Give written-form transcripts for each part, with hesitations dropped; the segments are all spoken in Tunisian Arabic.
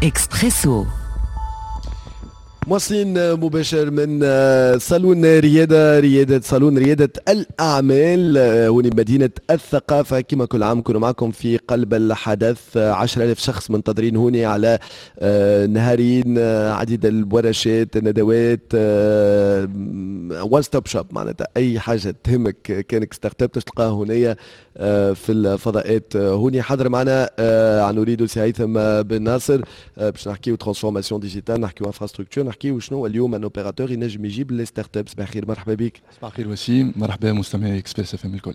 اكسبريسو. مواصلين مباشر من صالون ريادة، ريادة صالون ريادة الأعمال هوني مدينة الثقافة. كما كل عام كنا معكم في قلب الحدث، 10,000 شخص منتظرين هوني على نهارين، عديد الورشات، الندوات، one stop shop، معناتها أي حاجة تهمك كانك startup تلقاها هنا في الفضاءات. هوني حاضر معنا عن أوريدو سي هيثم بن ناصر باش نحكيو transformation digitale، نحكيو infrastructure، نحكيو شنو اليوم un opérateur ينجم يجيب les startups. صباح الخير، مرحبا بك. صباح الخير وسيم، مرحبا مستمعي Express FM الكل.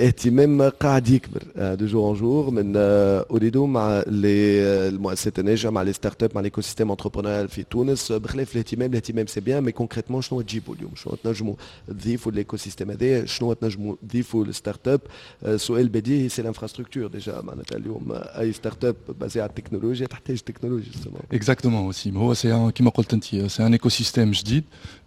اهتمام قاعد يكبر de jour en jour من اوريدو مع المؤسسات الناجحه، مع les startups، مع l'écosystème entrepreneurial في تونس. بخلاف الاهتمام، الاهتمام c'est bien، mais concrètement شنو تجيبوا اليوم؟ شنو تنجموا تضيفوا l'écosystème هذايا؟ شنو تنجموا تضيفوا لل startup؟ سؤال بديهي، c'est l'infrastructure déjà. معناتها اليوم اي startup basée على التكنولوجيا تحتاج تكنولوجيا. exactement وسيم، هو c'est كيما قلت انت، c'est un écosystème جديد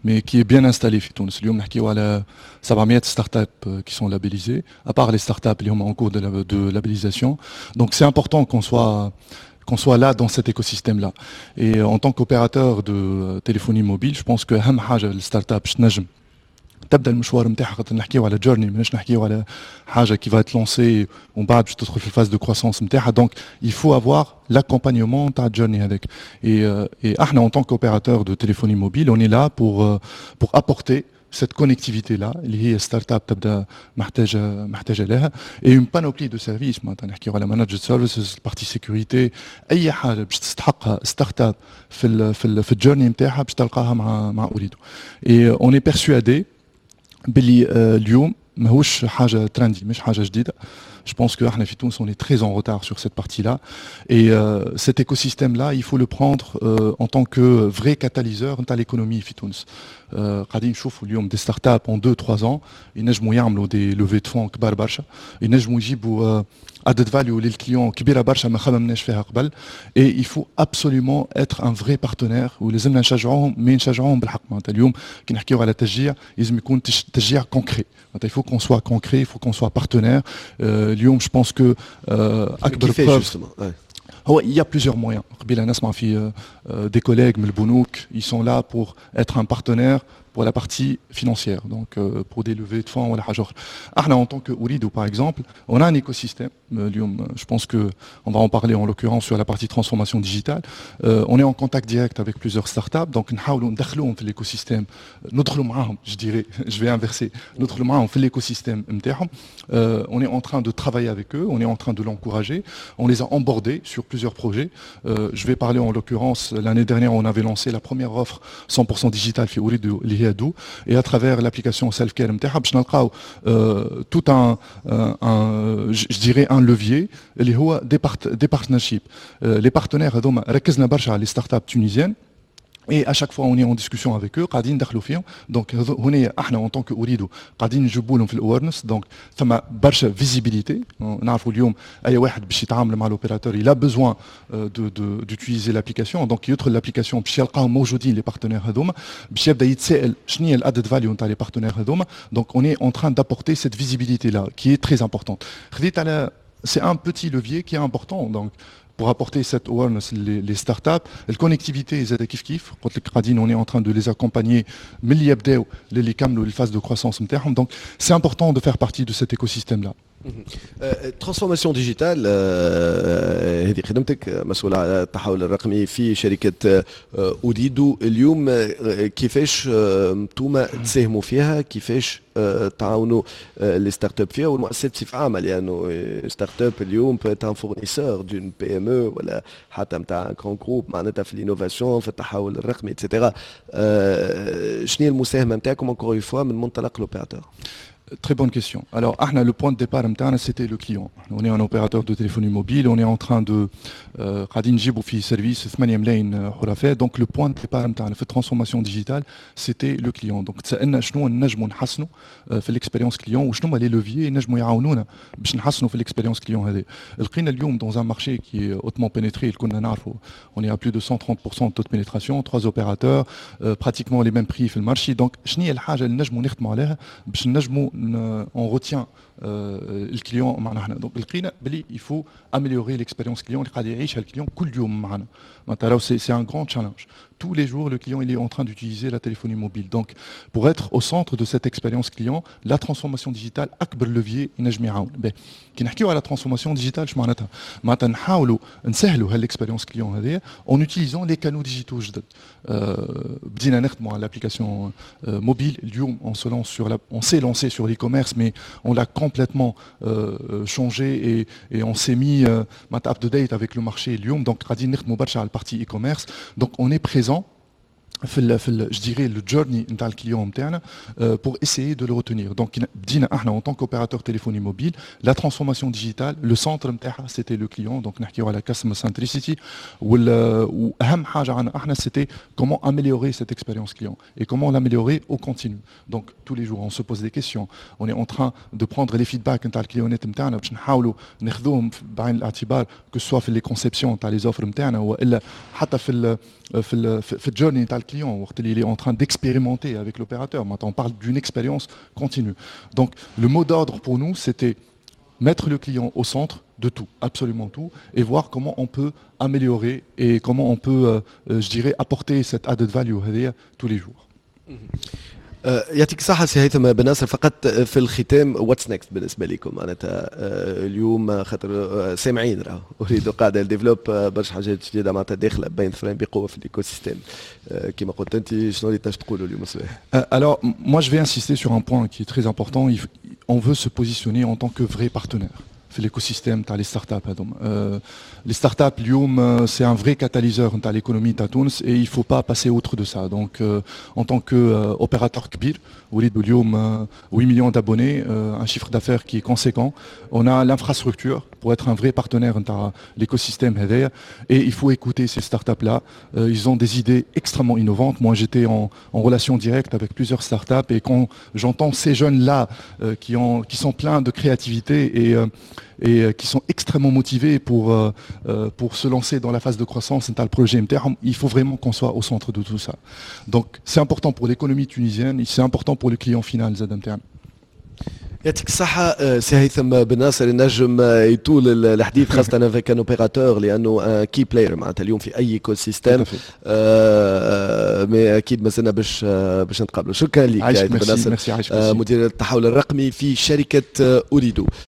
mais qui est bien installé في تونس. اليوم نحكيو على 700 startups qui sont labellisées, à part les startups qui sont en cours de labellisation. Donc c'est important qu'on soit là dans cet écosystème-là. Et en tant qu'opérateur de téléphonie mobile, je pense que أهم حاجة ال startup باش تنجم تبدا المشوار نتاعها، خاطر نحكيو على journey، ماناش نحكيو على حاجة qui va être lancée ومن بعد باش تدخل في ال phase de croissance نتاعها. donc il faut avoir l'accompagnement تاع ال journey هذاك. et احنا en tant qu'opérateur de téléphonie mobile، on est là pour apporter cette connectivité là اللي هي startup تبدا محتاجه لها، et une panoplie de services. معناتها نحكيو على managed services، partie sécurité، اي حاجة باش تستحقها startup في ال journey نتاعها باش تلقاها مع اوريدو. et on est persuadé باللي اليوم ماهوش حاجة trendy، مش حاجة جديده. Je pense que احنا في تونس on est très en retard sur cette partie-là et cet écosystème-là il faut le prendre en tant que vrai catalyseur نتاع l'économie في تونس. قاعدين نشوفوا اليوم des startups en 2 3 ans ينجموا يعملوا des levées de fonds كبار برشا، ينجموا يجيبوا added value لل client كبيرة برشا ما خممناش فيها قبل. et il faut absolument être un vrai partenaire ولازمنا نشجعوهم، mais نشجعوهم بالحق. معناتها اليوم كي نحكيو على تشجيع لازم يكون تشجيع concret. معناتها il faut qu'on soit concret، il faut qu'on soit partenaire. اليوم je pense que اكبر preuve هو il y a plusieurs moyens. قبيلة نسمع في des collègues من البنوك، ils sont là pour être un partenaire pour la partie financière، donc pour des levées de fonds ولا حاجة اخرى. احنا en tant que Ooredoo par exemple، on a un écosystème. اليوم je pense que on va en parler en l'occurrence sur la partie transformation digitale. On est en contact direct avec plusieurs startups، donc نحاولوا ندخلوهم في l'écosystème، ندخلوا معاهم، je dirais، je vais inverser، ندخلوا معاهم في l'écosystème نتاعهم. On est en train de travailler avec eux، on est en train de l'encourager، on les a onboardés sur plusieurs projets. Je vais parler en l'occurrence، l'année dernière on avait lancé la première offre 100% digitale في Ooredoo اللي هي du، et à travers l'application self care نتاعها باش نلقاو tout un je dirais un levier اللي هو des partnerships، les partenaires هذوما. ركزنا برشا على les startups tunisiennes et à chaque fois on est en discussion avec eux، قاعدين ندخلوا فيهم. donc هنا احنا en tant que Ooredoo قاعدين نجيبوا لهم في ال awareness، donc ثم برشا visibilité. نعرفوا اليوم اي واحد باش يتعامل مع l'opérateur il a besoin de d'utiliser l'application، donc يدخل l'application باش يلقاهم موجودين les partenaires هذوما، باش يبدا يتسائل شنو هي ال added value نتاع les partenaires هذوما. donc on est en train d'apporter cette visibilité là qui est très importante. خذيت على c'est un petit levier qui est important donc pour apporter cette awareness les startups. La connectivité زاد كيف كيف، قلت لك قاعدين on est en train de les accompagner من اللي يبداو للي يكملوا les phases de croissance نتاعهم. donc c'est important de faire partie de cet écosystème là. transformation digitale، هذه خدمتك، مسؤول على التحول الرقمي في شركة أوريدو. اليوم كيفاش انتم تساهموا فيها؟ كيفاش تعاونوا les startups فيها والمؤسسات بصفة عامة؟ لأنه startup اليوم peut être un fournisseur d'une PME ولا حتى نتاع grand groupe، معناتها في l'innovation، في التحول الرقمي et cetera. شنو هي المساهمة نتاعكم encore une fois من منطلق l'opérateur؟ Très bonne question. Alors، احنا le point de départ نتاعنا c'était le client. On est un opérateur de téléphonie mobile، on est en train de قاعدين نجيبوا في service 8 ملايين حرفاء. donc le point de départ نتاعنا في transformation digitale c'était le client. donc تسالنا شنو نجموا نحسنوا في l'expérience client وشنو هما les leviers نجموا يعاونونا باش نحسنوا في l'expérience client هذه. لقينا اليوم dans un marché qui est hautement pénétré، كنا نعرفوا on est à plus de 130% de taux de pénétration، trois opérateurs، pratiquement les mêmes prix في ال marché. donc شنو هي الحاجة اللي نجموا نخدموا عليها باش نجموا on retient ال client معنا احنا؟ donc لقينا بلي il faut améliorer l'expérience client اللي قاعد يعيشها ال client كل يوم معنا. معناتها راهو c'est un grand challenge. Tous les jours, le client, il est en train d'utiliser la téléphonie mobile. Donc, pour être au centre de cette expérience client, la transformation digitale أكبر levier ينجم يعاون. كي نحكيو على transformation digitale، اش معناتها؟ معناتها نحاولوا نسهلوا هال expérience client هذه en utilisant les canaux digitaux جدد. بدينا نخدموا على l'application mobile. اليوم on se lance sur la, on s'est lancé sur l'e-commerce, mais on l'a complètement changé et on s'est mis up to date avec le marché اليوم. Donc قاعدين نخدموا برشا على ال partie e-commerce. Donc on est présent في je dirais le journey نتاع ال client نتاعنا pour essayer de le retenir. Donc بدينا احنا en tant qu'opérateur téléphonie mobile la transformation digitale, le centre نتاعها c'était le client. donc نحكيو على customer centricity، واهم حاجه عندنا احنا c'était comment améliorer cette expérience client et comment l'améliorer au continu. donc tous les jours on se pose des questions, on est en train de prendre les feedbacks نتاع ال client ات نتاعنا باش نحاولوا ناخذوهم بعين الاعتبار، que ce soit في les conceptions نتاع les offres نتاعنا والا حتى في ال journey نتاع ال client وقت اللي il est en train d'expérimenter avec l'opérateur. Maintenant, on parle d'une expérience continue. Donc, le mot d'ordre pour nous, c'était mettre le client au centre de tout, absolument tout, et voir comment on peut améliorer et comment on peut, je dirais, apporter cette added value هذه tous les jours. يعطيك الصحة سي هيثم بن ناصر. فقط في الختام، what's next بالنسبة لكم؟ معناتها اليوم خاطر سامعين راه أوريدو قاعدة développe برشا حاجات جديدة، معناتها داخلة بين ظفرين بقوة في ال écosystème كما قلت أنت. شنو اللي تنجم تقولوا اليوم الصباح؟ Alors, moi je vais insister sur un point qui est très important. On veut se positionner en tant que vrai partenaire في l'écosystème تاع les startups هذوما. Les startups اليوم c'est un vrai catalyseur نتاع l'économie تاع تونس et il faut pas passer outre de ça. Donc en tant que opérateur كبير، وليدو اليوم 8 millions d'abonnés, un chiffre d'affaires qui est conséquent, on a l'infrastructure pour être un vrai partenaire نتاع l'écosystème هذايا et il faut écouter ces startups là. Ils ont des idées extrêmement innovantes. Moi, j'étais en relation directe avec plusieurs startups et quand j'entends ces jeunes là qui sont pleins de créativité et qui sont extrêmement motivés pour se lancer dans la phase de croissance نتاع ال projet نتاعهم, il faut vraiment qu'on soit au centre de tout ça. Donc c'est important pour l'économie tunisienne et c'est important pour le client final زاد نتاعنا. يعطيك الصحة سي هيثم بن ناصر. النجم يطول الحديث خاصة avec un opérateur لأنه key player معناتها اليوم في أي écosystème، mais أكيد مازلنا باش نتقابلوا. شكرا لك هيثم بن ناصر، مدير التحول الرقمي في شركة أوريدو.